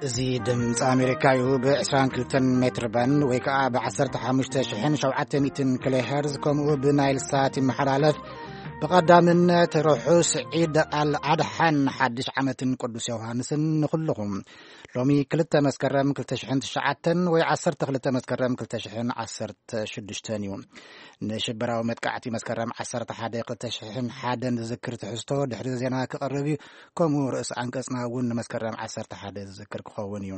እዚ ድምፂ ኣሜሪካ እዩ። ብ22 ሜትር ባንድ ወይ ከዓ ብ15700 ኪሎ ሄርዝ፣ ከምኡ ብናይል ሳት ይመሓላለፍ። ብቐዳምነት ርሑስ ዒድ ኣል ኣድሓን ሓድሽ ዓመትን ቅዱስ ዮሃንስን ንኹልኹም። ሎሚ ክልተ መስከረም ክልተ ሽሕን ትሽዓተን ወይ ዓሰርተ ክልተ መስከረም ክልተ ሽሕን ዓሰርተ ሽዱሽተን እዩ። ንሽበራዊ መጥቃዕቲ መስከረም ዓሰርተ ሓደ ክልተ ሽሕን ሓደን ዝዝክር ትሕዝቶ ድሕሪ ዜና ክቐርብ እዩ። ከምኡ ርእሲ ኣንቀጽና እውን ንመስከረም ዓሰርተ ሓደ ዝዝክር ክኸውን እዩ።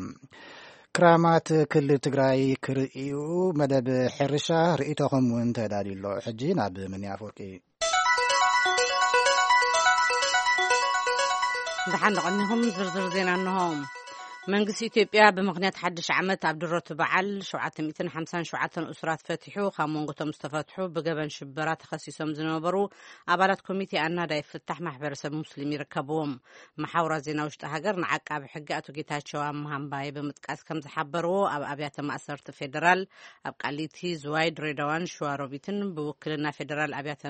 ክራማት ክልል ትግራይ ክርእዩ መደብ ሕርሻ ርእይቶኹም እውን ተዳልዩ ኣሎ። ሕጂ ናብ ምንያ ኣፈወርቂ። ደሓን ደቐኒኹም። ዝርዝር ዜና እንሆ። መንግስቲ ኢትዮጵያ ብምኽንያት ሓድሽ ዓመት ኣብ ድሮት በዓል ሸውዓተ ሚእትን ሓምሳን ሸውዓተን እሱራት ፈቲሑ። ካብ መንጎቶም ዝተፈትሑ ብገበን ሽበራ ተኸሲሶም ዝነበሩ ኣባላት ኮሚቴ ኣናዳይ ፍታሕ ማሕበረሰብ ሙስሊም ይርከብዎም። መሓውራት ዜና ውሽጢ ሃገር ንዓቃቢ ሕጊ ኣቶ ጌታቸው ኣምሃ እምባየ ብምጥቃስ ከም ዝሓበርዎ፣ ኣብ ኣብያተ ማእሰርቲ ፌደራል ኣብ ቃሊቲ፣ ዝዋይ፣ ድሬዳዋን ሸዋሮቢትን ብውክልና ፌደራል ኣብያተ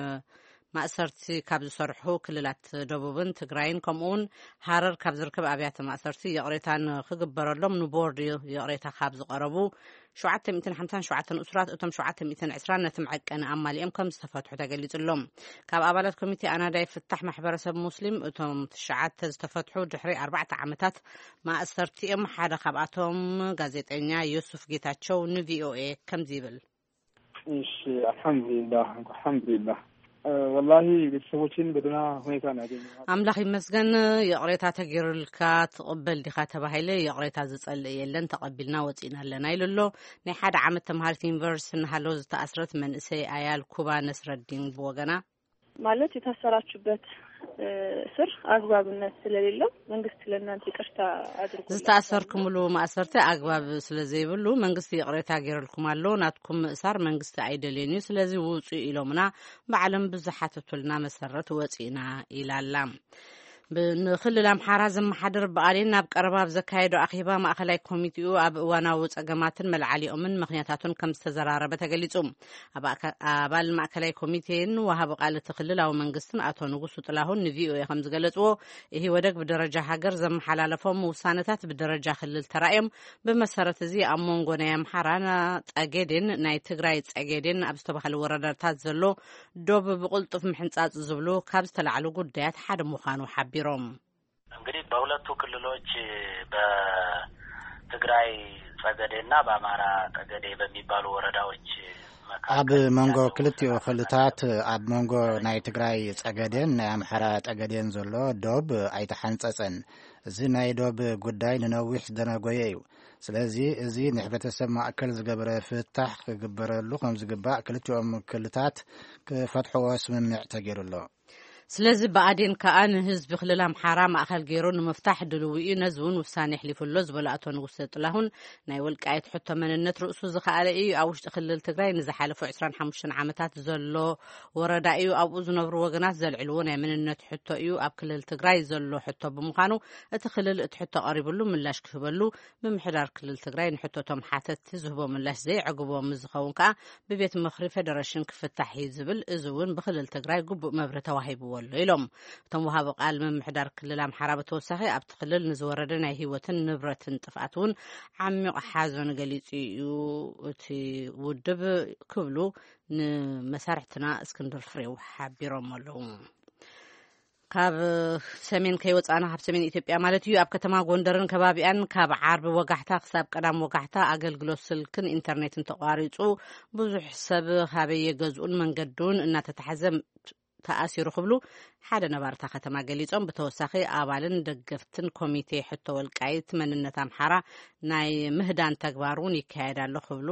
ማእሰርቲ ካብ ዝሰርሑ ክልላት ደቡብን ትግራይን ከምኡውን ሃረር ካብ ዝርከብ ኣብያተ ማእሰርቲ ይቕሬታ ንክግበረሎም ንቦርድ ይቕሬታ ካብ ዝቐረቡ ሸውዓተ ሚእትን ሓምሳን ሸውዓተን እሱራት፣ እቶም ሸውዓተ ሚእትን ዕስራን ነቲ መዐቀኒ ኣማሊኦም ከም ዝተፈትሑ ተገሊጹ ኣሎ። ካብ ኣባላት ኮሚቴ ኣናዳይ ፍታሕ ማሕበረሰብ ሙስሊም እቶም ትሽዓተ ዝተፈትሑ ድሕሪ ኣርባዕተ ዓመታት ማእሰርቲ እዮም። ሓደ ካብኣቶም ጋዜጠኛ ዮሱፍ ጌታቸው ንቪኦኤ ከምዚ ይብል። እሺ፣ አልሐምዱሊላህ፣ አልሐምዱሊላህ። እ፣ ወላሂ ቤተሰቦቼን በደህና ሁኔታ ነው ያገኘኋቸው። ኣምላኽ ይመስገን። ይቕሬታ ተገይሩልካ ትቕበል ዲኻ ተባሂለ፣ ይቕሬታ ዝጸልእ የለን፣ ተቐቢልና ወጺእና ኣለና ኢሉ ኣሎ። ናይ ሓደ ዓመት ተምሃሪት ዩኒቨርሲቲ እናሃለወ ዝተኣስረት መንእሰይ ኣያል ኩባ ነስረዲን ብወገና፣ ማለት የታሰራችሁበት፣ እ፣ እስር አግባብነት ስለሌለው መንግስት ለእናንተ ይቅርታ አድርጎላችኋል። ዝተኣሰርኩምሉ ማእሰርቲ ኣግባብ ስለ ዘይብሉ መንግስቲ ይቕሬታ ገይሩልኩም ኣሎ። ናትኩም ምእሳር መንግስቲ ኣይደልዮን እዩ፣ ስለዚ ውጹ ኢሎምና ባዕሎም ብዝሓተቱልና መሰረት ወጺእና ኢላ ኣላ። ብ-፣ ንክልል ኣምሓራ ዘመሓድር ብኣዴን ናብ ቀረባ ኣብ ዘካየዶ ኣኼባ ማእኸላይ ኮሚቴኡ ኣብ እዋናዊ ጸገማትን መልዓሊኦምን ምኽንያታቱን ከም ዝተዘራረበ ተገሊጹ። ኣብ ኣካ-፣ ኣባል ማእከላይ ኮሚቴን ወሃቢ ቃል እቲ ክልላዊ መንግስትን ኣቶ ንጉሱ ጥላሁን ንቪኦኤ ከም ዝገለጽዎ፣ ኢህወደግ ብደረጃ ሃገር ዘመሓላለፎም ውሳነታት ብደረጃ ክልል ተራእዮም። ብመሰረት እዚ ኣብ መንጎ ናይ ኣምሓራ ጸገዴን ናይ ትግራይ ጸገዴን ኣብ ዝተባህሉ ወረዳታት ዘሎ ዶብ ብቕልጡፍ ምሕንጻጽ ዝብሉ ካብ ዝተላዕሉ ጉዳያት ሓደ ምዃኑ ሓቢሮም። እንግዲህ በሁለቱ ክልሎች በትግራይ ጸገዴና በአማራ ጠገዴ በሚባሉ ወረዳዎች መካከል ኣብ መንጎ ያለው ክልቲኡ ክልታት ኣብ መንጎ ናይ ትግራይ ጸገዴን ናይ ኣምሓራ ጠገዴን ዘሎ ዶብ ኣይተሓንጸጸን። እዚ ናይ ዶብ ጉዳይ ንነዊሕ ዝደነጎየ እዩ። ስለዚ እዚ ንሕብረተሰብ ማእከል ዝገበረ ፍታሕ ክግበረሉ ከም ዝግባእ ክልቲኦም ክልታት ክፈትሕዎ ስምምዕ ተገይሩ ኣሎ። ስለዚ ብኣዴን ከኣ ንህዝቢ ክልል ኣምሓራ ማእከል ገይሩ ንምፍታሕ ድልዊ እዩ፣ ነዚ እውን ውሳኔ ኣሕሊፉ ኣሎ ዝበሉ ኣቶ ንጉሰ ጥላሁን፣ ናይ ወልቃይት ሕቶ መንነት ርእሱ ዝኸኣለ እዩ፣ ኣብ ውሽጢ ክልል ትግራይ ንዝሓለፉ ዕስራን ሓሙሽተን ዓመታት ዘሎ ወረዳ እዩ፣ ኣብኡ ዝነብሩ ወገናት ዘልዕልዎ ናይ መንነት ሕቶ እዩ፣ ኣብ ክልል ትግራይ ዘሎ ሕቶ ብምዃኑ እቲ ክልል እቲ ሕቶ ቀሪብሉ ምላሽ ክህበሉ፣ ምምሕዳር ክልል ትግራይ ንሕቶቶም ሓተትቲ ዝህቦ ምላሽ ዘይዕግቦ ምስ ዝኸውን ከኣ ብቤት ምኽሪ ፌደሬሽን ክፍታሕ እዩ ዝብል፣ እዚ እውን ብክልል ትግራይ ግቡእ መብርሂ ተዋሂብዎ ኣሎ ኢሎም። እቶም ወሃቢ ቃል ምምሕዳር ክልል ኣምሓራ ብተወሳኺ ኣብቲ ክልል ንዝወረደ ናይ ህይወትን ንብረትን ጥፍኣት እውን ዓሚቕ ሓዘን ገሊጹ እዩ እቲ ውድብ ክብሉ ንመሳርሕትና እስክንድር ፍሬው ሓቢሮም ኣለዉ። ካብ ሰሜን ከይወጻና፣ ካብ ሰሜን ኢትዮጵያ ማለት እዩ፣ ኣብ ከተማ ጎንደርን ከባቢኣን ካብ ዓርቢ ወጋሕታ ክሳብ ቀዳም ወጋሕታ ኣገልግሎት ስልክን ኢንተርኔትን ተቋሪጹ፣ ብዙሕ ሰብ ካበየ ገዝኡን መንገዱን እናተታሕዘ ተኣሲሩ ክብሉ ሓደ ነባሪ እታ ከተማ ገሊጾም። ብተወሳኺ ኣባልን ደገፍትን ኮሚቴ ሕቶ ወልቃይት መንነት ኣምሓራ ናይ ምህዳን ተግባር እውን ይካየድ ኣሎ ክብሉ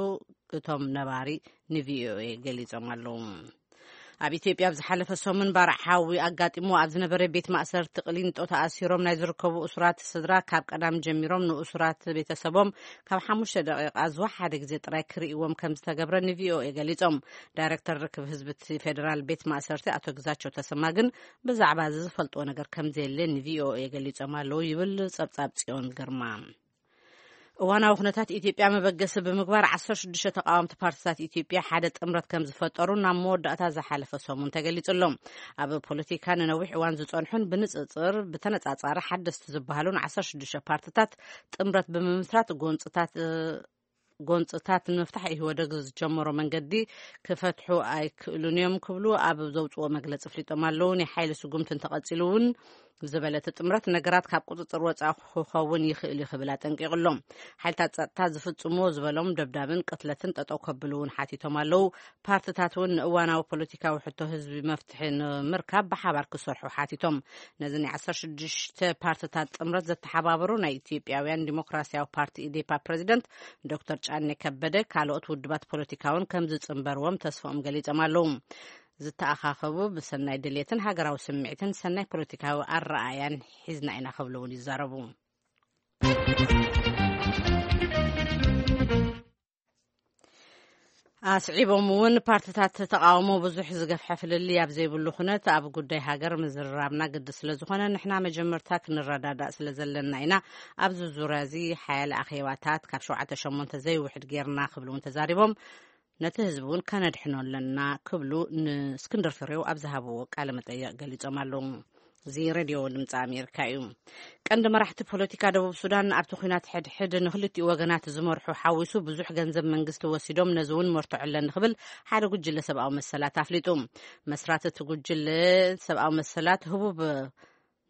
እቶም ነባሪ ንቪኦኤ ገሊጾም ኣለዉ። ኣብ ኢትዮጵያ ኣብ ዝሓለፈ ሰሙን ባርዕ ሓዊ ኣጋጢሞ ኣብ ዝነበረ ቤት ማእሰርቲ ቅሊንጦ ተኣሲሮም ናይ ዝርከቡ እሱራት ስድራ ካብ ቀዳም ጀሚሮም ንእሱራት ቤተሰቦም ካብ ሓሙሽተ ደቂቓ ዝወሓደ ግዜ ጥራይ ክርእይዎም ከም ዝተገብረ ንቪኦኤ ገሊጾም። ዳይሬክተር ርክብ ህዝቢ እቲ ፌደራል ቤት ማእሰርቲ ኣቶ ግዛቸው ተሰማ ግን ብዛዕባ እዚ ዝፈልጥዎ ነገር ከም ዘየለ ንቪኦኤ ገሊጾም ኣለዉ ይብል ጸብጻብ ጽዮን ግርማ። እዋናዊ ኩነታት ኢትዮጵያ መበገሲ ብምግባር ዓሰርተ ሽዱሽተ ተቃወምቲ ፓርቲታት ኢትዮጵያ ሓደ ጥምረት ከም ዝፈጠሩ ናብ መወዳእታ ዝሓለፈ ሰሙን ተገሊጹ ኣሎ። ኣብ ፖለቲካ ንነዊሕ እዋን ዝጸንሑን ብንጽጽር ብተነጻጻሪ ሓደስቲ ዝበሃሉን ዓሰርተ ሽዱሽተ ፓርቲታት ጥምረት ብምምስራት ጎንጽታት ጎንጽታት ንምፍታሕ ኢህወደግ ዝጀመሮ መንገዲ ክፈትሑ ኣይክእሉን እዮም ክብሉ ኣብ ዘውፅዎ መግለፂ ፍሊጦም ኣለዉ። ናይ ሓይሊ ስጉምቲ እንተቐፂሉ እውን ዝበለ እቲ ጥምረት ነገራት ካብ ቁፅፅር ወፃኢ ክኸውን ይኽእል እዩ ክብል ኣጠንቂቑ ኣሎ። ሓይልታት ፀጥታ ዝፍፅሞ ዝበሎም ደብዳብን ቅትለትን ጠጠው ከብሉ እውን ሓቲቶም ኣለዉ። ፓርትታት እውን ንእዋናዊ ፖለቲካዊ ሕቶ ህዝቢ መፍትሒ ንምርካብ ብሓባር ክሰርሑ ሓቲቶም። ነዚ ናይ ዓሰርተ ሽዱሽተ ፓርትታት ጥምረት ዘተሓባበሩ ናይ ኢትዮጵያውያን ዲሞክራሲያዊ ፓርቲ ኢዴፓ ፕሬዚደንት ዶክተር ጫኔ ከበደ ካልኦት ውድባት ፖለቲካውን ከም ዝጽንበርዎም ተስፋኦም ገሊጾም ኣለዉ። ዝተኣኻኸቡ ብሰናይ ድሌትን ሃገራዊ ስምዒትን ሰናይ ፖለቲካዊ ኣረኣያን ሒዝና ኢና ክብሉ እውን ይዛረቡ። ኣስዒቦም እውን ፓርትታት ተቃውሞ ብዙሕ ዝገፍሐ ፍልልይ ኣብ ዘይብሉ ኩነት ኣብ ጉዳይ ሃገር ምዝርራብና ግዲ ስለ ዝኾነ ንሕና መጀመርታ ክንረዳዳእ ስለ ዘለና ኢና ኣብዚ ዙርያ እዚ ሓያለ ኣኼባታት ካብ ሸውዓተ ሸሞንተ ዘይውሕድ ጌርና ክብሉ እውን ተዛሪቦም። ነቲ ህዝቢ እውን ከነድሕኖ ኣለና ክብሉ ንእስክንድር ፍሬው ኣብ ዝሃብዎ ቃለ መጠየቕ ገሊጾም ኣለዉ። እዚ ሬድዮ ድምፂ ኣሜሪካ እዩ። ቀንዲ መራሕቲ ፖለቲካ ደቡብ ሱዳን ኣብቲ ኩናት ሕድሕድ ንክልቲኡ ወገናት ዝመርሑ ሓዊሱ ብዙሕ ገንዘብ መንግስቲ ወሲዶም ነዚ እውን መርትዖ ኣለኒ ክብል ሓደ ጉጅለ ሰብኣዊ መሰላት ኣፍሊጡ። መስራት እቲ ጉጅለ ሰብኣዊ መሰላት ህቡብ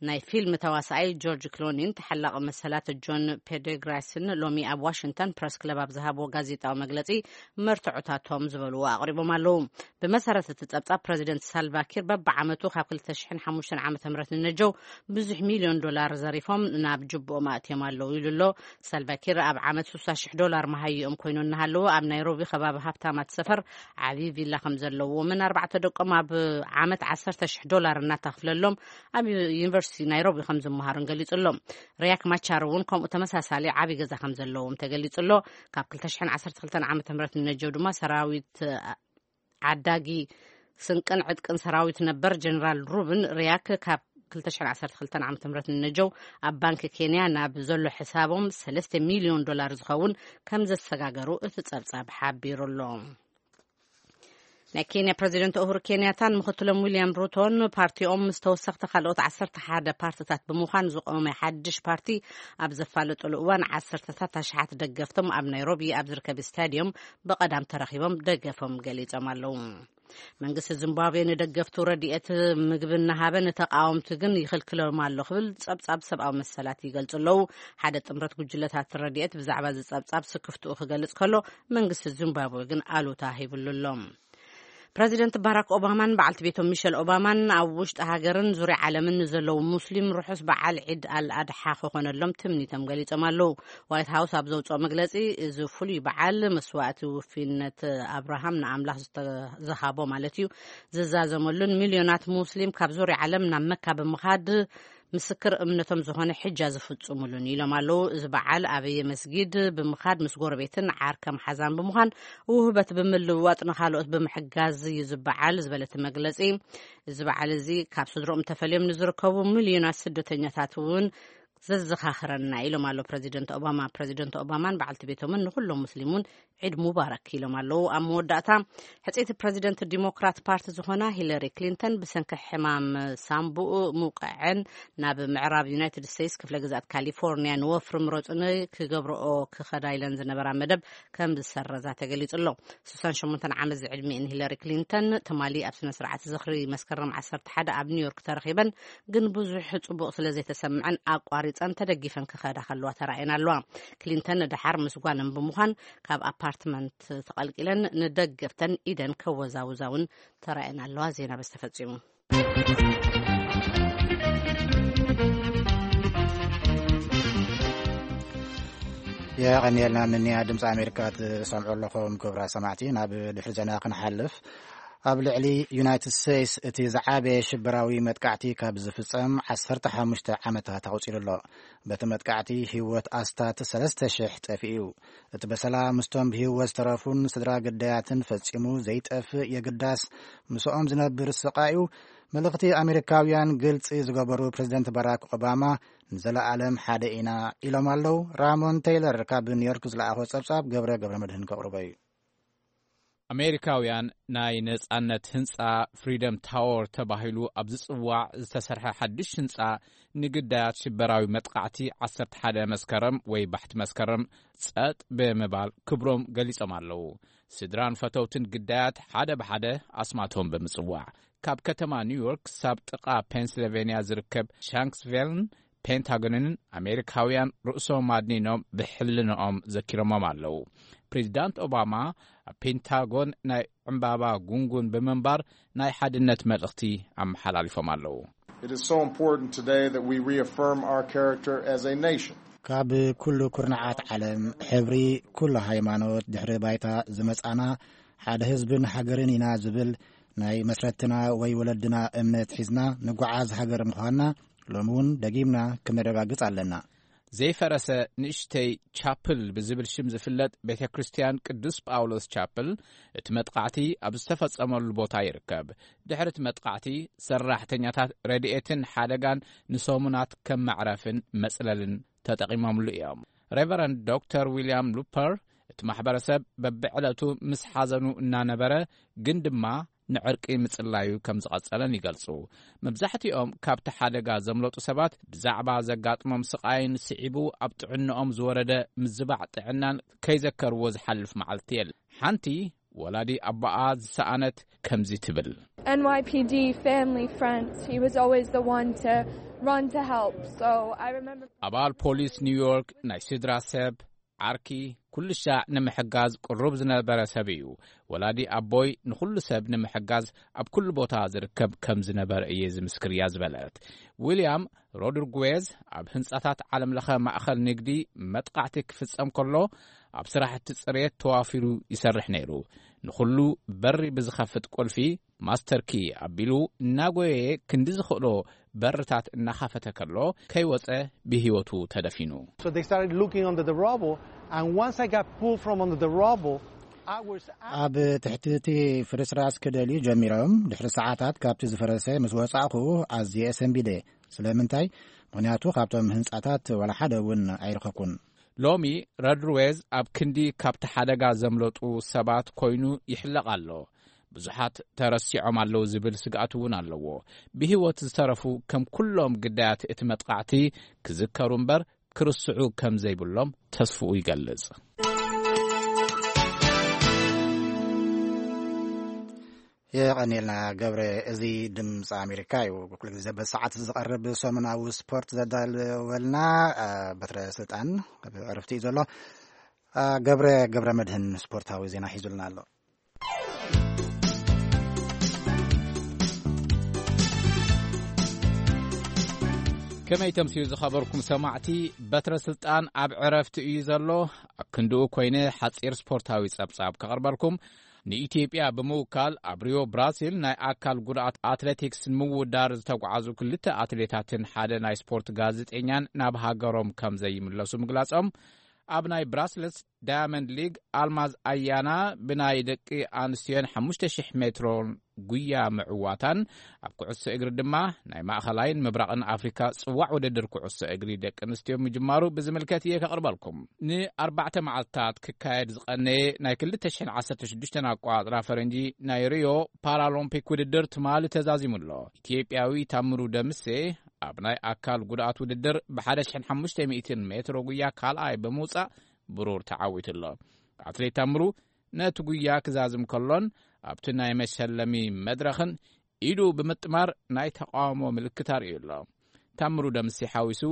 ናይ ፊልም ተዋሳኣይ ጆርጅ ክሎኒን ተሓላቒ መሰላት ጆን ፔደግራስን ሎሚ ኣብ ዋሽንግተን ፕረስ ክለብ ኣብ ዝሃብዎ ጋዜጣዊ መግለፂ መርትዖታቶም ዝበልዎ ኣቕሪቦም ኣለዉ። ብመሰረት እቲ ጸብጻብ ፕረዚደንት ሳልቫኪር በብዓመቱ ካብ ክልተ ሽሕን ሓሙሽተን ዓመተ ምህረት ንነጀው ብዙሕ ሚልዮን ዶላር ዘሪፎም ናብ ጅብኦም ኣእትዮም ኣለዉ ኢሉ ኣሎ። ሳልቫኪር ኣብ ዓመት ስሳ ሽሕ ዶላር መሃይኦም ኮይኑ እናሃለዉ ኣብ ናይሮቢ ከባቢ ሃብታማት ሰፈር ዓብዪ ቪላ ከም ዘለዎምን ኣርባዕተ ደቆም ኣብ ዓመት ዓሰርተ ሽሕ ዶላር እናተኽፍለሎም ኣብ ዩኒቨርሲቲ ናይሮቢ ከም ዝመሃሩን ገሊጹ ኣሎ። ሪያክ ማቻር እውን ከምኡ ተመሳሳሊ ዓብዪ ገዛ ከም ዘለዎም ተገሊጹ ኣሎ። ካብ ክልተ ሽሕን ዓሰርተ ክልተን ዓመተ ምህረት ንነጀው ድማ ሰራዊት ዓዳጊ ስንቅን ዕጥቅን ሰራዊት ነበር ጀነራል ሩብን ሪያክ ካብ ክልተ ሽሕን ዓሰርተ ክልተን ዓመተ ምህረት ንነጀው ኣብ ባንክ ኬንያ ናብ ዘሎ ሕሳቦም ሰለስተ ሚልዮን ዶላር ዝኸውን ከም ዘሰጋገሩ እቲ ጸብጻብ ሓቢሩ ኣሎ። ናይ ኬንያ ፕረዚደንት ኡሁሩ ኬንያታን ምክትሎም ዊልያም ሩቶን ፓርቲኦም ምስ ተወሰኽቲ ካልኦት ዓሰርተ ሓደ ፓርትታት ብምዃን ዝቖመ ሓድሽ ፓርቲ ኣብ ዘፋለጡሉ እዋን ዓሰርተታት ኣሽሓት ደገፍቶም ኣብ ናይሮቢ ኣብ ዝርከብ ስታዲዮም ብቐዳም ተረኺቦም ደገፎም ገሊጾም ኣለዉ። መንግስቲ ዚምባብዌ ንደገፍቱ ረድኤት ምግቢ እናሃበ ንተቃወምቲ ግን ይኽልክሎም ኣሎ ክብል ጸብጻብ ሰብኣዊ መሰላት ይገልጹ ኣለዉ። ሓደ ጥምረት ጉጅለታት ረድኤት ብዛዕባ እዚ ጸብጻብ ስክፍትኡ ክገልጽ ከሎ መንግስቲ ዚምባብዌ ግን ኣሉታ ሂብሉ ኣሎ። ፕረዚደንት ባራክ ኦባማን በዓልቲ ቤቶም ሚሸል ኦባማን ኣብ ውሽጢ ሃገርን ዙርያ ዓለምን ንዘለዉ ሙስሊም ርሑስ በዓል ዒድ ኣል ኣድሓ ክኾነሎም ትምኒቶም ገሊጾም ኣለዉ። ዋይት ሃውስ ኣብ ዘውፅኦ መግለፂ እዚ ፍሉይ በዓል መስዋእቲ ውፊነት ኣብርሃም ንኣምላኽ ዝሃቦ ማለት እዩ ዝዛዘመሉን ሚልዮናት ሙስሊም ካብ ዙርያ ዓለም ናብ መካ ብምኻድ ምስክር እምነቶም ዝኾነ ሕጃ ዝፍፅሙሉን ኢሎም ኣለዉ። እዚ በዓል ኣበየ መስጊድ ብምኻድ ምስ ጎረቤትን ዓርከ መሓዛን ብምዃን ውህበት ብምልውዋጥ ንኻልኦት ብምሕጋዝ እዩ ዝበዓል ዝበለ እቲ መግለፂ፣ እዚ በዓል እዚ ካብ ስድሮኦም ተፈልዮም ንዝርከቡ ሚልዮናት ስደተኛታት እውን ዘዘኻኽረና ኢሎም ኣሎ ፕረዚደንት ኦባማ። ፕረዚደንት ኦባማን በዓልቲ ቤቶምን ንኩሎም ሙስሊም እውን ዒድ ሙባረክ ኢሎም ኣለዉ። ኣብ መወዳእታ ሕፅይቲ ፕረዚደንት ዲሞክራት ፓርቲ ዝኾና ሂለሪ ክሊንተን ብሰንኪ ሕማም ሳምቡኡ ምውቃዐን ናብ ምዕራብ ዩናይትድ ስቴትስ ክፍለ ግዛት ካሊፎርኒያ ንወፍሪ ምረፁኒ ክገብረኦ ክኸዳ ኢለን ዝነበራ መደብ ከም ዝሰረዛ ተገሊጹ ኣሎ። ስሳን ሸሞንተን ዓመት ዝዕድሚኤን ሂለሪ ክሊንተን ትማሊ ኣብ ስነ ስርዓት ዝኽሪ መስከረም ዓሰርተ ሓደ ኣብ ኒውዮርክ ተረኺበን፣ ግን ብዙሕ ጽቡቕ ስለ ዘይተሰምዐን ኣቋሪጸን ተደጊፈን ክኸዳ ከለዋ ተራእየን ኣለዋ። ክሊንተን ንደሓር ምስ ጓለን ብምዃን ካብ ኣፓርትመንት ተቐልቂለን ንደገፍተን ኢደን ከወዛውዛ እውን ተራእየን ኣለዋ። ዜና በዚ ተፈጺሙ። የቐንየልና። ንንያ ድምፂ ኣሜሪካ ትሰምዑ ኣለኹም ክቡራት ሰማዕቲ። ናብ ድሕሪ ዜና ክንሓልፍ፣ ኣብ ልዕሊ ዩናይትድ ስቴትስ እቲ ዝዓበየ ሽበራዊ መጥቃዕቲ ካብ ዝፍጸም ዓሰርተ ሓሙሽተ ዓመታት ኣቑጺሩ ኣሎ። በቲ መጥቃዕቲ ህይወት ኣስታት ሰለስተ ሽሕ ጠፊኡ እዩ። እቲ በሰላ ምስቶም ብህይወት ዝተረፉን ስድራ ግዳያትን ፈጺሙ ዘይጠፍእ የግዳስ፣ ምስኦም ዝነብር ስቓዩ መልእኽቲ ኣሜሪካውያን ግልጺ ዝገበሩ ፕሬዚደንት ባራክ ኦባማ፣ "ንዘለኣለም ሓደ ኢና" ኢሎም ኣለዉ። ራሞን ቴይለር ካብ ኒውዮርክ ዝለኣኾ ጸብጻብ ገብረ ገብረ መድህን ከቕርቦ እዩ። ኣሜሪካውያን ናይ ነጻነት ህንጻ፣ ፍሪደም ታወር ተባሂሉ ኣብ ዝጽዋዕ ዝተሰርሐ ሓድሽ ህንጻ፣ ንግዳያት ሽበራዊ መጥቃዕቲ ዓሰርተ ሓደ መስከረም ወይ ባሕቲ መስከረም ጸጥ ብምባል ክብሮም ገሊጾም ኣለዉ። ስድራን ፈተውትን ግዳያት ሓደ ብሓደ ኣስማቶም ብምጽዋዕ፣ ካብ ከተማ ኒውዮርክ ክሳብ ጥቓ ፔንስልቬንያ ዝርከብ ሻንክስቪልን ፔንታጎንን ኣሜሪካውያን ርእሶም ኣድኒኖም ብሕልንኦም ዘኪሮሞም ኣለዉ። ፕሬዚዳንት ኦባማ ኣብ ፔንታጎን ናይ ዕምባባ ጉንጉን ብምንባር ናይ ሓድነት መልእኽቲ ኣመሓላሊፎም ኣለዉ። It is so important today that we reaffirm our character as a nation. ካብ ኩሉ ኩርናዓት ዓለም፣ ሕብሪ፣ ኩሉ ሃይማኖት፣ ድሕሪ ባይታ ዝመጻና ሓደ ህዝብን ሃገርን ኢና ዝብል ናይ መስረትና ወይ ወለድና እምነት ሒዝና ንጓዓዝ ሃገር ምዃንና ሎሚ እውን ደጊምና ክነረጋግጽ ኣለና። ዘይፈረሰ ንእሽተይ ቻፕል ብዝብል ሽም ዝፍለጥ ቤተ ክርስቲያን ቅዱስ ጳውሎስ ቻፕል፣ እቲ መጥቃዕቲ ኣብ ዝተፈጸመሉ ቦታ ይርከብ። ድሕሪ እቲ መጥቃዕቲ፣ ሰራሕተኛታት ረድኤትን ሓደጋን ንሰሙናት ከም መዕረፍን መጽለልን ተጠቒሞምሉ እዮም። ሬቨረንድ ዶክተር ዊልያም ሉፐር፣ እቲ ማሕበረሰብ በብዕለቱ ምስ ሓዘኑ እናነበረ፣ ግን ድማ ንዕርቂ ምጽላዩ ከም ዝቐጸለን ይገልጹ። መብዛሕትኦም ካብቲ ሓደጋ ዘምለጡ ሰባት፣ ብዛዕባ ዘጋጥሞም ስቓይን ስዒቡ ኣብ ጥዕንኦም ዝወረደ ምዝባዕ ጥዕናን ከይዘከርዎ ዝሓልፍ መዓልቲ የለን። ሓንቲ ወላዲ ኣቦኣ ዝሰኣነት ከምዚ ትብል። N Y P D family friends, he was always the one to run to help. So I remember ኣባል ፖሊስ ኒውዮርክ፣ ናይ ስድራ ሰብ፣ ዓርኪ፣ ኩሉ ሻዕ ንምሕጋዝ ቅሩብ ዝነበረ ሰብ እዩ። ወላዲ ኣቦይ ንኹሉ ሰብ ንምሕጋዝ ኣብ ኩሉ ቦታ ዝርከብ ከም ዝነበረ እየ ዝምስክር እያ ዝበለት። ዊልያም ሮድሪጉዌዝ ኣብ ህንጻታት ዓለምለኸ ማእኸል ንግዲ መጥቃዕቲ ክፍጸም ከሎ፣ ኣብ ስራሕቲ ጽሬት ተዋፊሩ ይሰርሕ ነይሩ። ንኹሉ በሪ ብዝኸፍት ቁልፊ፣ ማስተር ኪ፣ ኣቢሉ እናጎየየ ክንዲ ዝኽእሎ በርታት እናኸፈተ ከሎ፣ ከይወጸ ብህይወቱ ተደፊኑ። So they started looking under the rubble, and once I got pulled from under the rubble, I was ኣብ ትሕቲ እቲ ፍርስራስ ክደልዩ ጀሚሮም። ድሕሪ ሰዓታት ካብቲ ዝፈረሰ ምስ ወጻእኹ ኣዝየ ሰንቢደ። ስለምንታይ? ምኽንያቱ ካብቶም ህንጻታት ዋላ ሓደ እውን ኣይረኸብኩን። ሎሚ ረድሩዌዝ ኣብ ክንዲ ካብቲ ሓደጋ ዘምለጡ ሰባት ኮይኑ ይሕለቕ ኣሎ። ብዙሓት ተረሲዖም ኣለዉ ዝብል ስግኣት እውን ኣለዎ። ብህይወት ዝተረፉ ከም ኩሎም ግዳያት እቲ መጥቃዕቲ ክዝከሩ እምበር ክርስዑ ከም ዘይብሎም ተስፍኡ ይገልጽ። የቐኔልና ገብረ። እዚ ድምፂ ኣሜሪካ እዩ። ኩሉ ግዜ በሰዓት ዝቐርብ ሰሙናዊ ስፖርት ዘዳለወልና፣ አ፣ በትረ ስልጣን ኣብ ዕረፍቲ እዩ ዘሎ። አ፣ ገብረ ገብረ መድህን ስፖርታዊ ዜና ሒዙልና ኣሎ። ከመይ ተምስዩ ዝኸበርኩም ሰማዕቲ፣ በትረ ስልጣን ኣብ ዕረፍቲ እዩ ዘሎ። ኣብ ክንድኡ ኮይነ ሓጺር ስፖርታዊ ጸብጻብ ከቕርበልኩም። ንኢትዮጵያ ብምውካል ኣብ ሪዮ ብራዚል ናይ ኣካል ጉድኣት ኣትሌቲክስ ንምውዳር ዝተጓዓዙ ክልተ ኣትሌታትን ሓደ ናይ ስፖርት ጋዜጠኛን ናብ ሃገሮም ከም ዘይምለሱ ምግላጾም፣ ኣብ ናይ ብራስለስ ዳያመንድ ሊግ ኣልማዝ ኣያና ብናይ ደቂ ኣንስትዮን ሓሙሽተ ሽሕ ሜትሮን ጉያ ምዕዋታን፣ ኣብ ኩዕሶ እግሪ ድማ ናይ ማእኸላይን ምብራቕን ኣፍሪካ ጽዋዕ ውድድር ኩዕሶ እግሪ ደቂ ኣንስትዮ ምጅማሩ ብዝምልከት እየ ከቕርበልኩም። ንኣርባዕተ መዓልታት ክካየድ ዝቐነየ ናይ ክልተ ሽሕን ዓሰርተ ሽዱሽተን ኣቋጽራ ፈረንጂ ናይ ሪዮ ፓራሎምፒክ ውድድር ትማሊ ተዛዚሙ ኣሎ። ኢትዮጵያዊ ታምሩ ደምሴ ኣብ ናይ ኣካል ጉድኣት ውድድር ብሓደ ሽሕን ሓሙሽተ ሚእትን ሜትሮ ጉያ ካልኣይ ብምውጻእ ብሩር ተዓዊቱ ኣሎ። ኣትሌት ታምሩ ነቲ ጉያ ክዛዝም ከሎን ኣብቲ ናይ መሸለሚ መድረኽን ኢዱ ብምጥማር ናይ ተቃውሞ ምልክት ኣርእዩ ኣሎ። ታምሩ ደምሴ ሓዊሱ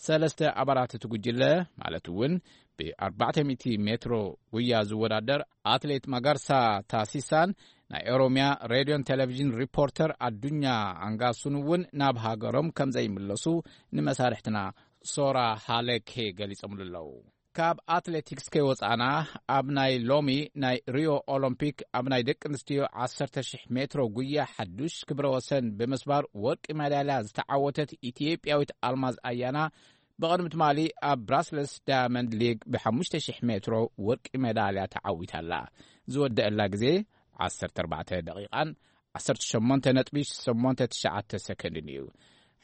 ሰለስተ ኣባላት እቲ ጉጅለ፣ ማለት እውን ብ ኣርባዕተ ሚእቲ ሜትሮ ጉያ ዝወዳደር ኣትሌት ማጋርሳ ታሲሳን ናይ ኦሮሚያ ሬድዮን ቴሌቪዥን ሪፖርተር ኣዱኛ ኣንጋሱን እውን ናብ ሃገሮም ከም ዘይምለሱ ንመሳርሕትና ሶራ ሃለኬ ገሊጾምሉ ኣለዉ። ካብ ኣትሌቲክስ ከይወጻና፣ ኣብ ናይ ሎሚ ናይ ሪዮ ኦሎምፒክ ኣብ ናይ ደቂ ኣንስትዮ ዓሰርተ ሽሕ ሜትሮ ጉያ ሓዱሽ ክብረ ወሰን ብምስባር ወርቂ ሜዳልያ ዝተዓወተት ኢትዮጵያዊት ኣልማዝ ኣያና፣ ብቕድሚ ትማሊ ኣብ ብራስለስ ዳያመንድ ሊግ ብሓሙሽተ ሽሕ ሜትሮ ወርቂ ሜዳልያ ተዓዊታ ኣላ። ዝወደአላ ግዜ ዓሰርተ ኣርባዕተ ደቂቓን ዓሰርተ ሸሞንተ ነጥቢ ሸሞንተ ትሽዓተ ሰከንድን እዩ።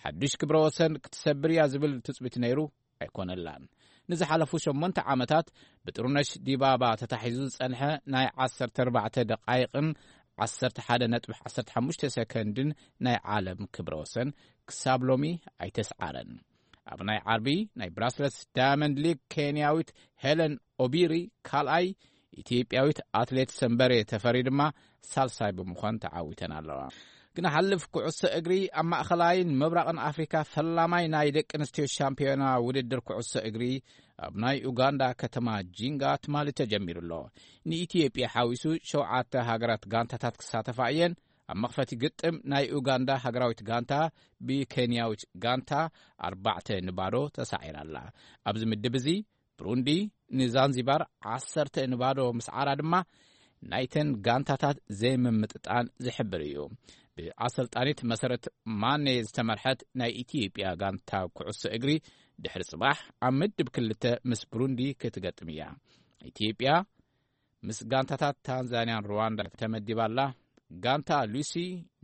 ሓዱሽ ክብረ ወሰን ክትሰብር እያ ዝብል ትጽቢት ነይሩ ኣይኮነላን። ንዝሓለፉ ሸሞንተ ዓመታት ብጥሩነሽ ዲባባ ተታሒዙ ዝጸንሐ ናይ ዓሰርተ ኣርባዕተ ደቓይቕን ዓሰርተ ሓደ ነጥቢ ዓሰርተ ሓሙሽተ ሰከንድን ናይ ዓለም ክብረ ወሰን ክሳብ ሎሚ ኣይተስዓረን። ኣብ ናይ ዓርቢ ናይ ብራስለስ ዳያመንድ ሊግ ኬንያዊት ሄለን ኦቢሪ ካልኣይ፣ ኢትዮጵያዊት ኣትሌት ሰንበሬ ተፈሪ ድማ ሳልሳይ ብምዃን ተዓዊተን ኣለዋ። ክንሓልፍ፣ ኩዕሶ እግሪ ኣብ ማእኸላይን ምብራቕን ኣፍሪካ ፈላማይ ናይ ደቂ ኣንስትዮ ሻምፒዮና ውድድር ኩዕሶ እግሪ ኣብ ናይ ኡጋንዳ ከተማ ጂንጋ ትማሊ ተጀሚሩ ኣሎ። ንኢትዮጵያ ሓዊሱ ሸውዓተ ሃገራት ጋንታታት ክሳተፋ እየን። ኣብ መኽፈቲ ግጥም ናይ ኡጋንዳ ሃገራዊት ጋንታ ብኬንያዊት ጋንታ ኣርባዕተ ንባዶ ተሳዒራ ኣላ። ኣብዚ ምድብ እዚ ብሩንዲ ንዛንዚባር ዓሰርተ ንባዶ ምስዓራ ድማ ናይተን ጋንታታት ዘይምምጥጣን ዝሕብር እዩ። ብኣሰልጣኒት መሰረት ማኔ ዝተመርሐት ናይ ኢትዮጵያ ጋንታ ኩዕሶ እግሪ ድሕሪ ጽባሕ ኣብ ምድብ ክልተ ምስ ብሩንዲ ክትገጥም እያ። ኢትዮጵያ ምስ ጋንታታት ታንዛንያን ሩዋንዳ ተመዲባ ኣላ። ጋንታ ሉሲ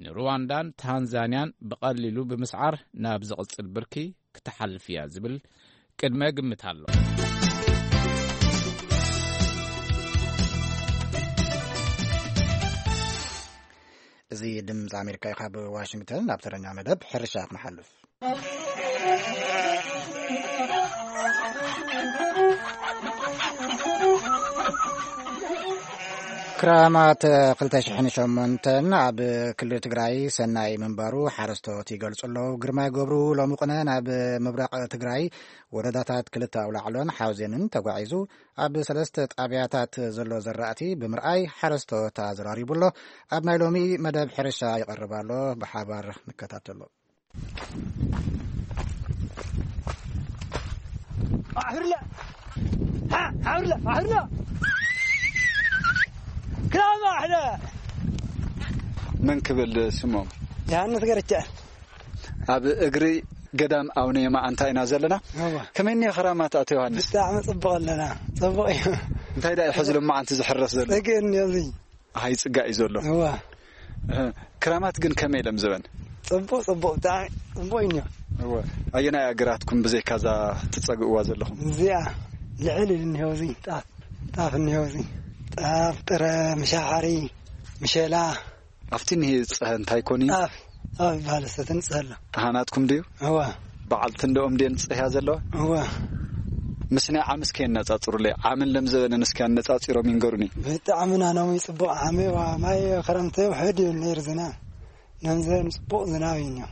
ንሩዋንዳን ታንዛንያን ብቐሊሉ ብምስዓር ናብ ዝቕጽል ብርኪ ክትሓልፍ እያ ዝብል ቅድመ ግምት ኣሎ። እዚ ድምፂ ኣሜሪካ እዩ። ካብ ዋሽንግተን ናብ ተረኛ መደብ ሕርሻ ክንሓልፍ። ክራማት ክልተ ሽሕን ሸሞንተን ኣብ ክልል ትግራይ ሰናይ ምንባሩ ሓረስቶት ይገልጹ ኣለዉ። ግርማይ ገብሩ ሎሚ ቁነ ናብ ምብራቕ ትግራይ ወረዳታት ክልተ ኣውላዕሎን ሓውዜንን ተጓዒዙ ኣብ ሰለስተ ጣብያታት ዘሎ ዘራእቲ ብምርኣይ ሓረስቶት ኣዘራሪቡ ኣሎ። ኣብ ናይ ሎሚ መደብ ሕርሻ ይቐርብ ኣሎ። ብሓባር ንከታተሎ። ኣሕርለ! ሓ-፣ ኣሕርለ! ኣሕርለ! ክራማ ኣሕለ! መን ክብል ስሞም? ዮሃንስ ገረቻ። ኣብ እግሪ ገዳም ኣቡነ የማዓንታ ኢና ዘለና። እዋ። ከመይ እኒኦ ክራማት ኣቶ ዮሃንስ? ብጣዕሚ ጽቡቕ ኣለና። ጽቡቕ እዩ። እንታይ ደኣ እዩ ሕዚ ሎማዓንቲ ዝሕረስ ዘሎ? ጽግእ እኒኦ እዚ። ኣሃ፣ ይጽጋእ እዩ ዘሎ። እዋ። እህ፣ ክራማት ግን ከመይ ኢሎም ዝበን? ጽቡቕ፣ ጽቡቕ፣ ብጣዕሚ ጽቡቕ እዩ እኒኦ። እወ። ኣየናይ ኣግራትኩም ብዘይካ እዛ ትጸግእዋ ዘለኹም? እዚኣ ልዕል ኢሉ እኒኦ፣ እዚ ጣፍ፣ ጣፍ እኒኦ፣ እዚ ጣፍ፣ ጥረ፣ ምሻሓሪ፣ ምሸላ። ኣብቲ እኒሄ ዝጸሀ እንታይ ኮን እዩ? ጣፍ፣ ጣፍ ይበሃል፣ ሰተን ይጸሀ ኣሎ። ኣሃ፣ ናትኩም ድዩ? እዋ። በዓልቲ እንድኦም ድየን ዝጸህያ ዘለዋ? እዋ። ምስ ናይ ዓሚ እስከ የነጻጽሩለይ። ዓምን ለምዘበንን እስከ ኣነጻጺሮም ይንገሩኒ። ብጣዕሚ ናኖም እዩ ጽቡቕ ዓሚ፣ ዋ፣ ማይ ክረምቲ ውሕድ እዩ ነይሩ ዝናብ። ነምዘበን ጽቡቕ ዝናብ እዩ እኒኦ።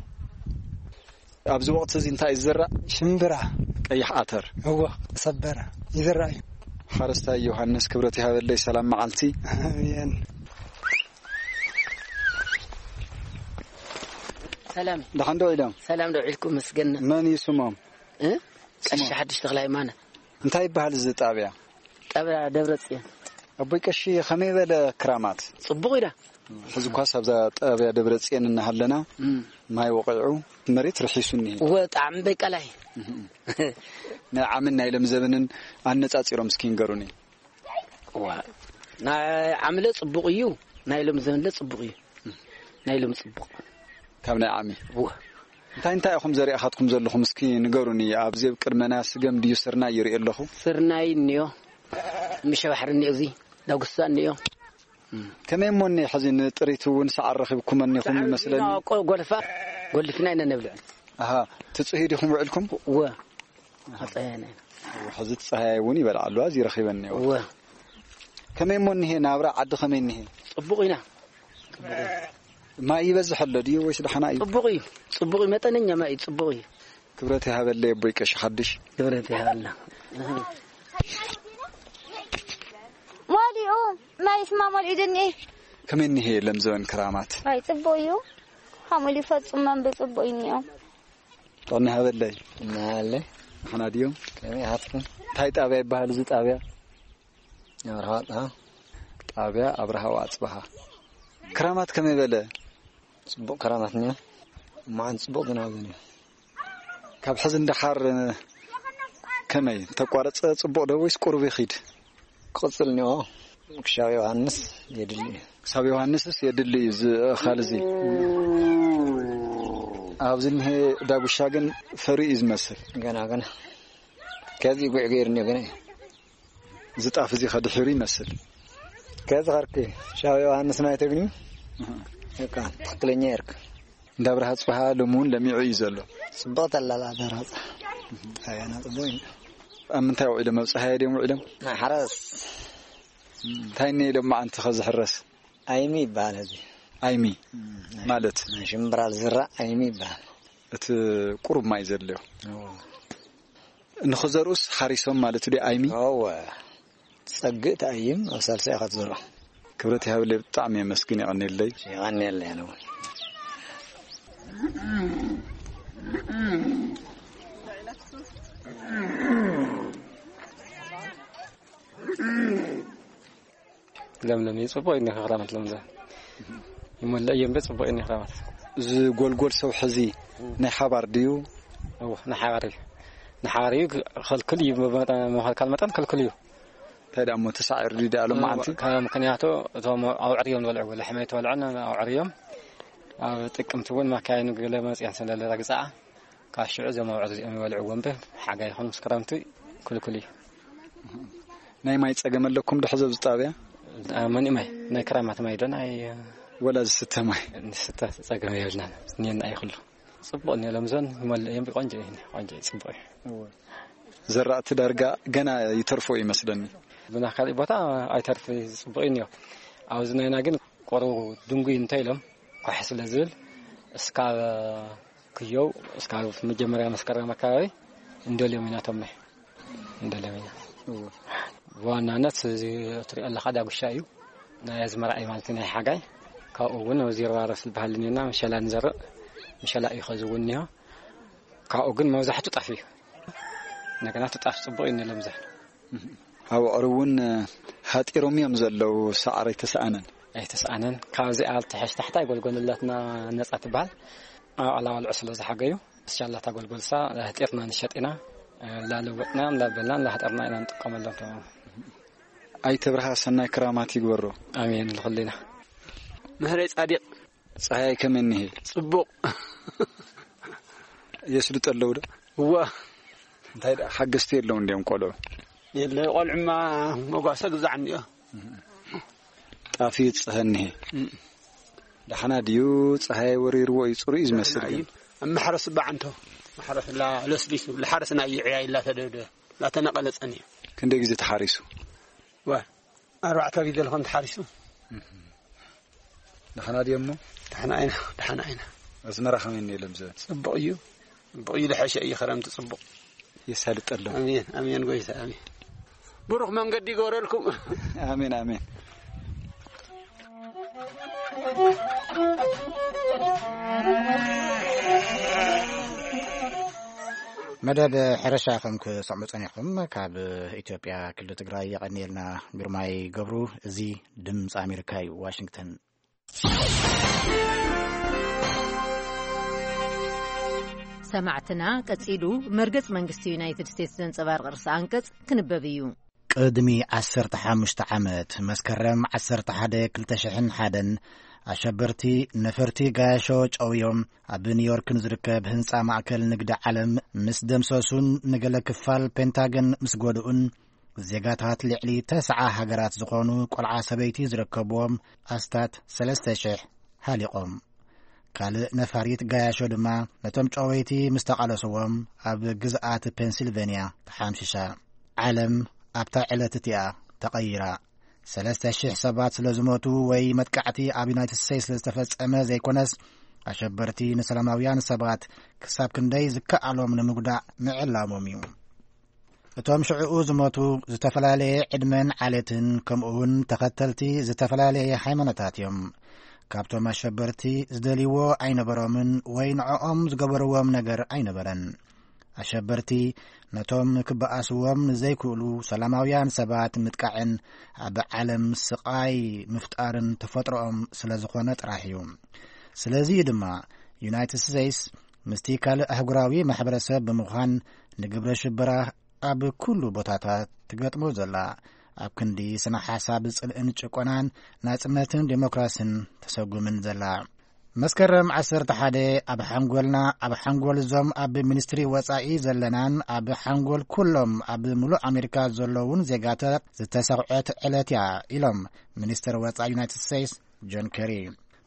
ኣብዚ ወቕቲ እዚ እንታይ እዩ ዝዝራእ? ሽምብራ። ቀይሕ ኣተር። እዎ፣ ተሰበረ ይዝራእ እዩ። ሓረስታይ ዮሃንስ ክብረት ይሃበለይ፣ ሰላም መዓልቲ። ኣሜን። ሰላም። ደሓን ዶ ኢሎም? ሰላም ዶ ዒልኩም መስገን። መን እዩ ስሞም? እ? ቀሺ ስሞም? ሓድሽ ተኽለ ሃይማኖት። እንታይ ይበሃል እዚ ጣብያ? ጣብያ ደብረ ጽዮን። ኣቦይ ቀሺ ከመይ በለ ክራማት? ጽቡቕ ኢዳ። ሕዚ እኳስ ኣብዛ ጣብያ ደብረ ጽዮን እናሃለና እም። ማይ ወቒዑ መሬት ርሒሱ እኒሄ። እወ፣ ጣዕሚ በቃላይ። እም። ናይ ዓምን ናይ ለምዘበንን ኣነጻጺሮም እስኪ ንገሩኒ። እዋ፣ ናይ ዓምለ ጽቡቕ እዩ፣ ናይ ሎም ዘበንለ ጽቡቕ እዩ። ናይ ሎም ጽቡቕ። ካብ ናይ ዓሚ? እዋ። እንታይ እንታይ ኢኹም ዘሪኣኻትኩም ዘለኹም እስኪ ንገሩኒ። ኣብዚ ኣብ ቅድመና ስገም ድዩ ስርናይ ይርኢ ኣለኹ? ስርናይ እኒኦ፣ ምሸባሕሪ እኒኦ፣ እዚ ዳጉሳ እኒኦ። ከመይ እሞ እኒ ሕዚ ንጥሪት እውን ሰዓር ረኺብኩም እኒኹም ይመስለኒ። ቆ-፣ ጎልፋ፣ ጎልፍና ኢና ነብልዕ። ኣሃ፣ ትጽህዩ ዲኹም ውዕልኩም? እወ። ኣጸያና። ሕዚ እቲ ጸሃያይ እውን ይበልዓሉ፣ እዚ ረኺበኒ እኒኦ። እወ። ከመይ እሞ እኒሄ ናብራ ዓዲ ከመይ እኒሄ? ጽቡቕ ኢና። ጽቡቕ እዩ። ማይ ይበዝሕ ኣሎ ድዩ ወይስ ደሓና እዩ? ጽቡቕ እዩ። ጽቡቕ እዩ። መጠነኛ ማይ እዩ። ጽቡቕ እዩ። ክብረት ይሃበለይ ኣቦይ ቀሺ ሓድሽ። ክብረት ይሃበልና። መሊኡ፣ ማይ ስማ መሊኡ ድኒ። ከመይ እኒሄ ለምዘበን ክራማት? ኣይ፣ ጽቡቕ እዩ። ሓሙል ይፈጽሞም ብጽቡቕ እዩ እኒኦ። ጥዕና ይሃበለይ። እናሃለይ። ደሓና ድዮም? ከመይ ሃትኩም? እንታይ ጣብያ ይበሃል እዚ ጣብያ? ኣብርሃ ኣጽብሃ። ጣብያ ኣብርሃ ኣጽብሃ። ክራማት ከመይ በለ? ጽቡቕ ክራማት እኒኦ። እማዓን ጽቡቕ ዝናብ እኒኦ። ካብ ሕዚ ንደሓር ከመይ? ተቋረጸ ጽቡቕ ዶ ወይስ ቁሩብ ይኺድ? ክቕጽል እኒኦ። ክሻብ ዮሃንስ የድሊ እዩ። ክሳብ ዮሃንስስ የድሊ እዩ እዚ እኻል እዚ። ኣብዚ እኒሄ ዳጉሻ ግን ፈርዩ እዩ ዝመስል። ገና፣ ገና። ከዚ ጉዕ ገይሩ እኒኦ፣ ገና እዩ። እዚ ጣፍ እዚ ከድሒሩ ይመስል። ከዚ ኸርኪ ሻው ዮሃንስ ናይ ተግኒ። እህ። በቃ፣ ትኽክለኛ የርክ። እንዳ ብርሃ ጽባሃ ሎሚ እውን ለሚዑ እዩ ዘሎ። ጽቡቕ ተላላ ደራጻ። ኣያና ጽቡቕ እዩ። ኣብ ምንታይ ውዒሎም? ኣብ ጸሃየ ድዮም ውዒሎም? ማሕረስ። እንታይ እኒኦ ኢሎም መዓንቲ ከዝሕረስ? ኣይሚ ይበሃል እዚ። ኣይሚ እም፣ ናይ ማለት? ናይ ሽምብራ ዝራእ ኣይሚ ይበሃል። እቲ ቁሩብ ማይ ዘድልዮ? እዎ። ንኽዘርኡስ ሓሪሶም ማለት ድዩ ኣይሚ? እወ። ጸግእ ትኣይም ኣብ ሳልሳይ ኢኻ ትዘርኦ። ክብረት ይሃብለይ፣ ብጣዕሚ የመስግን፣ የቐንየለይ። የቐንየለይ ኣነ እውን። ለምለም እዩ፣ ጽቡቕ እዩ እኒኦ ክራማት ለምለም። ይመልእ እዮም፣ ጽቡቕ እዩ እኒኦ ክራማት። እዚ ጎልጎል ሰውሒ እዚ ናይ ሓባር ድዩ? እወ፣ ናይ ሓባር እዩ። ናይ ሓባር እዩ፣ ክልክል እዩ፣ ብመጠን፣ ምኽልካል መጠን ክልክል እዩ። እንታይ ደኣ እሞ ተሳዒሩ ድዩ ደኣ ሎም መዓልቲ? ካብ ምኽንያቱ እቶም ኣውዕር እዮም ዝበልዕዎ፣ ላሕሚ ኣይተበልዐን ኣውዕር እዮም። ኣብ ጥቅምቲ እውን ማካይኑ ገለ መፅኤን ስለ ዝረግፃዓ፣ ካብ ሽዑ እዞም ኣውዕር እዚኦም ይበልዕዎ እምበር፣ ሓጋይ ይኹን ምስ ክረምቲ ክልኩል እዩ። ናይ ማይ ጸገም ኣለኩም ዶ ሕዚ ኣብዚ ጣብያ? አ፣ መን ማይ? ናይ ክራማት ማይ ዶ ናይ ወላ ዝስተ ማይ? ዝስተ ጸገም የብልናን። እኒአና እዩ ኩሉ። ጽቡቕ እኒኦ ለምዘን ይመልእ እዮም። ቆንጆ እዩ፣ ቆንጆ እዩ፣ ጽቡቕ እዩ። እወ። ዘራእቲ ዳርጋ ገና ይተርፎ ይመስለኒ። ብና ካልእ ቦታ ኣይተርፍ፣ ጽቡቕ እዩ እኒኦ። ኣብዚ ናይና ግን ቆሩ ድንጉይ እንተ ኢሎም ኳሕ ስለ ዝብል እስካብ ክየው እስካብ መጀመርያ መስከረም ኣካባቢ እንደልዮም ኢና ቶም ማይ። እንደለመኛ። እዎ። ብዋናነት እዚ እትሪኦ ኣለኻ ዳጉሻ እዩ። ናይ ኣዝመራ እዩ ማለት እዩ፣ ናይ ሓጋይ። ካብኡ እውን ኣብዚ ርባረስ ዝበሃል እኒኦና፣ ምሸላ ንዘርእ። ምሸላ እዩ ኸዚ እውን እኒሆ። ካብኡ ግን መብዛሕቱ ጣፍ እዩ። እንደገና እቲ ጣፍ ጽቡቕ እዩ እንለምዘ። ኣብ ዕሩ እውን ሃጢሮም እዮም ዘለዉ፣ ሳዕሪ ኣይተሰኣነን። ኣይተሰኣነን። ካብዚኣ ትሕሽ ታሕታይ ጎልጎል ኣለትና፣ ነጻ ትበሃል። ኣብ ኣላዋልዑ ስለ ዝሓገዩ፣ እስሻላ እታ ጎልጎልሳ ላህጢርና ንሸጥ ኢና። ላለወጥና፣ እንዳበልና፣ እንዳህጠርና ኢና ንጥቀመሎም። ኣይተ ብርሃ ሰናይ ክራማት ይግበሮ። ኣሜን ልኹልና። ምህረይ ጻዲቕ። ጸሃይ ከመይ እኒሄ? ጽቡቕ። የስልጡ ኣለዉ ዶ? እዋ። እንታይ ደኣ ሓገዝቲ የለውን ድዮም ቆልዑ? የለ፣ ቆልዑማ መጓሰ ግዛዕ እንዲዮ። ጣፍ እዩ ዝጸሀ እኒሄ። እም። ደሓና ድዩ? ጸሃይ ወሪርዎ እዩ፣ ጽሩይ እዩ ዝመስል ደሓና ግን። እዩ። ኣብ ማሕረስ እባ ዓንቶ። ማሕረስ ላ-፣ ለስሊሱ፣ ልሓረስና እዩ ዕያይ ላተደደ፣ ላተነቐለ ጸኒሑ። ክንደይ ግዜ ተሓሪሱ? ዋ፣ ኣርባዕተ ግዜ ልኾን ተሓሪሱ። ደሓና ድዮ እሞ? ደሓና ኣይና፣ ደሓና ኣይና። ኣዝመራ ከመይ እኒኦ ለምዘ? ጽቡቕ እዩ። ጽቡቕ እዩ፣ ልሐሸ እዩ፣ ክረምቲ ጽቡቕ። የሳልጠሎም። ኣሜን፣ ኣሜን፣ ጎይታ፣ ኣሜን። ብሩኽ መንገዲ ይግበረልኩም። ኣሜን፣ ኣሜን። መደብ ሕርሻ ከም ክሰምዑ ጸኒሕኩም፣ ካብ ኢትዮጵያ ክልል ትግራይ የቐንየልና ግርማይ ገብሩ። እዚ ድምፂ ኣሜሪካ እዩ፣ ዋሽንግተን። ሰማዕትና፣ ቀጺሉ መርገጽ መንግስቲ ዩናይትድ ስቴትስ ዘንጸባርቕ ርእሰ ኣንቀጽ ክንበብ እዩ። ቅድሚ ዓሰርተ ሓሙሽተ ዓመት፣ መስከረም ዓሰርተ ሓደ ክልተ ሽሕን ሓደን፣ ኣሸበርቲ ነፈርቲ ጋያሾ ጨውዮም ኣብ ኒውዮርክ ንዝርከብ ህንጻ ማእከል ንግዲ ዓለም ምስ ደምሰሱን ንገለ ክፋል ፔንታገን ምስ ጎድኡን፣ ዜጋታት ልዕሊ ተስዓ ሃገራት ዝኾኑ ቆልዓ ሰበይቲ ዝርከብዎም ኣስታት ሰለስተ ሽሕ ሃሊቖም። ካልእ ነፋሪት ጋያሾ ድማ ነቶም ጨወይቲ ምስ ተቓለስዎም ኣብ ግዝኣት ፔንሲልቬንያ ተሓምሽሻ። ዓለም ኣብታ ዕለት እቲኣ ተቐይራ። ሰለስተ ሽሕ ሰባት ስለ ዝሞቱ ወይ መጥቃዕቲ ኣብ ዩናይትድ ስቴትስ ስለ ዝተፈጸመ ዘይኮነስ፣ ኣሸበርቲ ንሰላማውያን ሰባት ክሳብ ክንደይ ዝከኣሎም ንምጉዳእ ምዕላሞም እዩ። እቶም ሽዕኡ ዝሞቱ ዝተፈላለየ ዕድመን ዓሌትን፣ ከምኡውን ተኸተልቲ ዝተፈላለየ ሃይማኖታት እዮም። ካብቶም ኣሸበርቲ ዝደልይዎ ኣይነበሮምን ወይ ንዕኦም ዝገበርዎም ነገር ኣይነበረን። ኣሸበርቲ ነቶም ክበኣስዎም ንዘይክእሉ ሰላማውያን ሰባት ምጥቃዕን ኣብ ዓለም ስቓይ ምፍጣርን ተፈጥሮኦም ስለ ዝኾነ ጥራሕ እዩ። ስለዚ እዩ ድማ ዩናይትድ ስቴትስ ምስቲ ካልእ ኣህጉራዊ ማሕበረሰብ ብምዃን ንግብረ ሽበራ ኣብ ኩሉ ቦታታት ትገጥሞ ዘላ። ኣብ ክንዲ ስነ ሓሳብ ጽልእን ጭቆናን ናጽነትን ዴሞክራስን ተሰጉምን ዘላ። መስከረም ዓሰርተ ሓደ ኣብ ሓንጎልና፣ ኣብ ሓንጎል እዞም ኣብ ሚኒስትሪ ወጻኢ ዘለናን ኣብ ሓንጎል ኩሎም ኣብ ምሉእ ኣሜሪካ ዘለውን ዜጋታት ዝተሰኽዐት ዕለት እያ ኢሎም ሚኒስትር ወጻኢ ዩናይትድ ስቴትስ ጆን ከሪ።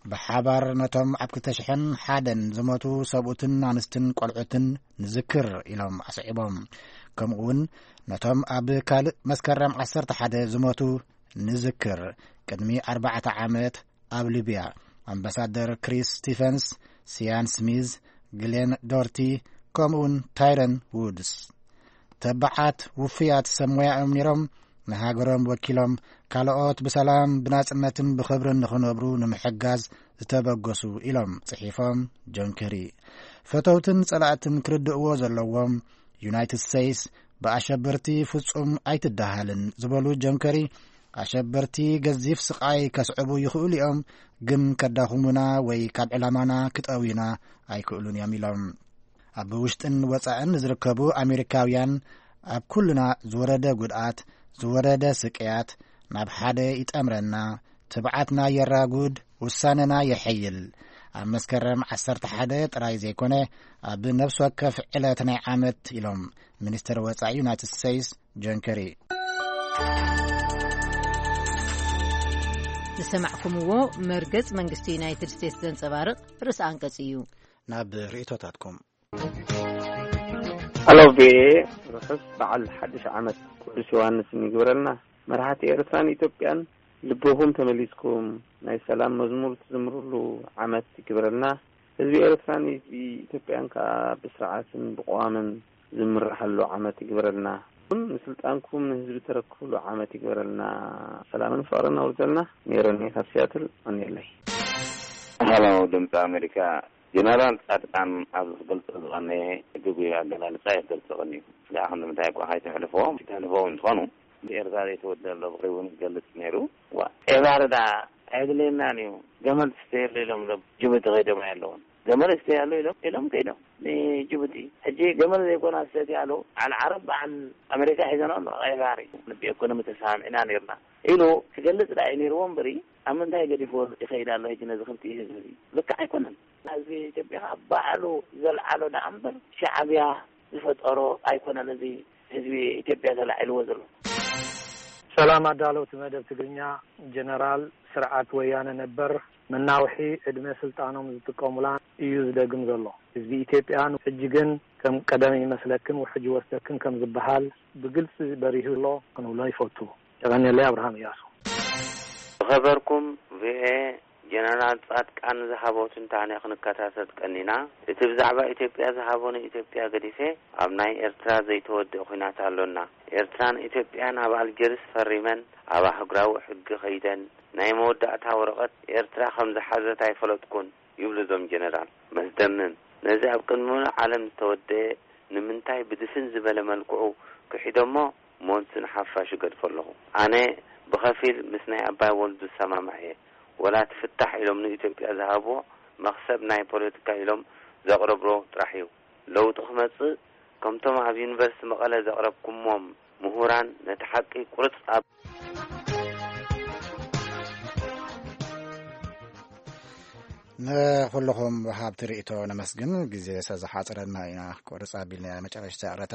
ብሓባር ነቶም ኣብ ክልተ ሽሕን ሓደን ዝሞቱ ሰብኡትን ኣንስትን ቆልዑትን ንዝክር ኢሎም ኣስዒቦም። ከምኡ እውን ነቶም ኣብ ካልእ መስከረም ዓሰርተ ሓደ ዝሞቱ ንዝክር። ቅድሚ ኣርባዕተ ዓመት ኣብ ሊብያ ኣምባሳደር ክሪስ ስቲፈንስ፣ ሲያን ስሚዝ፣ ግሌን ዶርቲ፣ ከምኡውን ታይረን ውድስ፣ ተባዓት ውፉያት ሰብ ሞያ እዮም ነይሮም። ንሃገሮም ወኪሎም ካልኦት ብሰላም ብናጽነትን ብኽብርን ንኽነብሩ ንምሕጋዝ ዝተበገሱ ኢሎም ጽሒፎም። ጆን ከሪ፣ ፈተውትን ጸላእትን ክርድእዎ ዘለዎም፣ ዩናይትድ ስቴትስ ብኣሸበርቲ ፍጹም ኣይትደሃልን ዝበሉ ጆን ከሪ፣ ኣሸበርቲ ገዚፍ ስቓይ ከስዕቡ ይኽእሉ እዮም፣ ግን ከዳኽሙና ወይ ካብ ዕላማና ክጠውዩና ኣይክእሉን እዮም ኢሎም። ኣብ ውሽጥን ወጻእን ዝርከቡ ኣሜሪካውያን፣ ኣብ ኩልና ዝወረደ ጉድኣት፣ ዝወረደ ስቅያት ናብ ሓደ ይጠምረና፣ ትብዓትና የራጉድ፣ ውሳነና የሐይል። ኣብ መስከረም ዓሰርተ ሓደ ጥራይ ዘይኮነ፣ ኣብ ነፍሲ ወከፍ ዕለት ናይ ዓመት ኢሎም ሚኒስትር ወጻኢ ዩናይትድ ስቴትስ ጆን ከሪ። ዝሰማዕኩምዎ መርገጽ መንግስቲ ዩናይትድ ስቴትስ ዘንጸባርቕ ርእሰ ኣንቀጽ እዩ። ናብ ርእይቶታትኩም። ሃሎ ቪኦኤ፣ ርሑስ በዓል ሓድሽ ዓመት ቅዱስ ዮሃንስ ይግበረልና። መራሕቲ ኤርትራን ኢትዮጵያን ልብኹም ተመሊስኩም ናይ ሰላም መዝሙር ትዝምርሉ ዓመት ይግበረልና። ህዝቢ ኤርትራን ህዝቢ ኢትዮጵያን ከኣ ብስርዓትን ብቕዋምን ዝምርሓሉ ዓመት ይግበረልና። ንስልጣንኩም ንህዝቢ ተረክብሉ ዓመት ይግበረልና። ሰላምን ፍቕርን ኣውርደልና። ሜሮን እየ ካብ ሲያትል። ቀንየለይ። ሃሎ ድምፂ ኣሜሪካ፣ ጀነራል ጻድቃን ኣብዚ ክገልጾ ዝቐነየ ግጉይ ኣገላልጻ እየ ክገልጾ ቀንዩ። ደኣ ክንዲ ምንታይ እኳ ከይተሕልፎ፣ ተሕልፎ እውን ትኾኑ፣ ብኤርትራ ዘይተወደለ ብኽሪ እውን ክገልጽ ነይሩ። ዋ፣ ኤባር ደኣ ኣየድልየናን እዩ። ገመል ትስተየሉ ኢሎም ዶ ጅቡቲ ከይዶም ኣየለውን? ገመል ይስተያሉ ኢሎም፣ ኢሎም ከይዶም ንጅቡቲ። ሕጂ ገመል ዘይኮና ዝሰትያሉ፣ በዓል ዓረብ፣ በዓል ኣሜሪካ ሒዘን ኣሎ። ቀይ ባሕሪ፣ ንብኤኮኖሚ ተሰማሚዕና ነይርና ኢሉ ክገልጽ ደኣ እዩ ነይርዎ እምበሪ፣ ኣብ ምንታይ ገዲፍዎ ይኸይድ ኣሎ ሕጂ ነዚ ክልቲኡ ህዝቢ እዚ? ልክዕ ኣይኮነን። ህዝቢ ኢትዮጵያ ኸዓ ባዕሉ ዘልዓሎ ደኣ እምበር፣ ሻዕብያ ዝፈጠሮ ኣይኮነን። እዚ ህዝቢ ኢትዮጵያ ተላዒልዎ ዘሎ። ሰላም ኣዳለውቲ መደብ ትግርኛ፣ ጀነራል ስርዓት ወያነ ነበር መናውሒ ዕድመ ስልጣኖም ዝጥቀሙላ እዩ ዝደግም ዘሎ። ህዝቢ ኢትዮጵያ ሕጂ ግን ከም ቀደም ይመስለክን ውሕጅ ይወስደክን ከም ዝበሃል ብግልፂ በሪሁ ኣሎ ክንብሎ ይፈቱ። የቐንየለይ፣ ኣብርሃም እያሱ። ዝኸበርኩም ቪኦኤ፣ ጀነራል ጻድቃን ዝሃቦ ትንታነ ክንከታተል ቀኒና። እቲ ብዛዕባ ኢትዮጵያ ዝሃቦ ንኢትዮጵያ ገዲፈ ኣብ ናይ ኤርትራ ዘይተወድአ ኲናት ኣሎና። ኤርትራን ኢትዮጵያን ኣብ ኣልጀርስ ፈሪመን ኣብ ኣህጉራዊ ሕጊ ከይደን ናይ መወዳእታ ወረቐት ኤርትራ ከም ዝሓዘት ኣይፈለጥኩን ይብሉ እዞም ጀነራል። መስደምም። ነዚ ኣብ ቅድሚ ምሉእ ዓለም ዝተወደአ ንምንታይ ብድፍን ዝበለ መልክዑ ክሒዶሞ ሞንት ንሓፋሽ ይገድፎ ኣለኹ። ኣነ ብኸፊል ምስ ናይ ኣባይ ወልዱ ዝሰማማዕ እየ። ወላ እቲ ፍታሕ ኢሎም ንኢትዮጵያ ዝሃብዎ መኽሰብ ናይ ፖለቲካ ኢሎም ዘቕረብዎ ጥራሕ እዩ። ለውጢ ክመጽእ ከምቶም ኣብ ዩኒቨርሲቲ መቐለ ዘቕረብኩምዎም ምሁራን ነቲ ሓቂ ቁርጽ ኣብ ንኹልኹም ወሃብቲ ርእይቶ ነመስግን። ግዜ ስለ ዝሓጸረና ኢና ቁርጽ ኣቢልና መጨረሽታ ያዕረታ።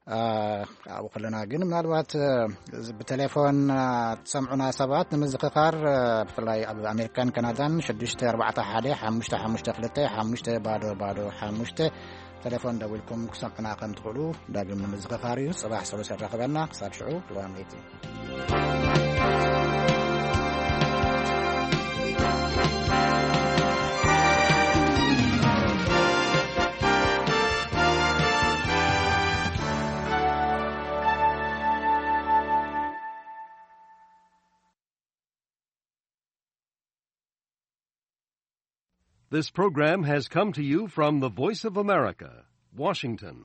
አ፣ ኣብኡ ከለና ግን ምናልባት፣ እ፣ ብቴሌፎን፣ አ፣ ትሰምዑና ሰባት ንምዝኽኻር፣ እ፣ ብፍላይ ኣብ ኣሜሪካን ካናዳን ሽዱሽተ ኣርባዕተ ሓደ ሓሙሽተ ሓሙሽተ ክልተ ሓሙሽተ ባዶ ባዶ ሓሙሽተ ቴሌፎን ደዊልኩም ክሰምዑና ከም ትኽእሉ ዳግም ንምዝኽኻር እዩ። ጽባሕ ሰሉስ የራኽበና። ክሳብ ሽዑ ድዋ ምእቲ። This program has come to you from the Voice of America, Washington.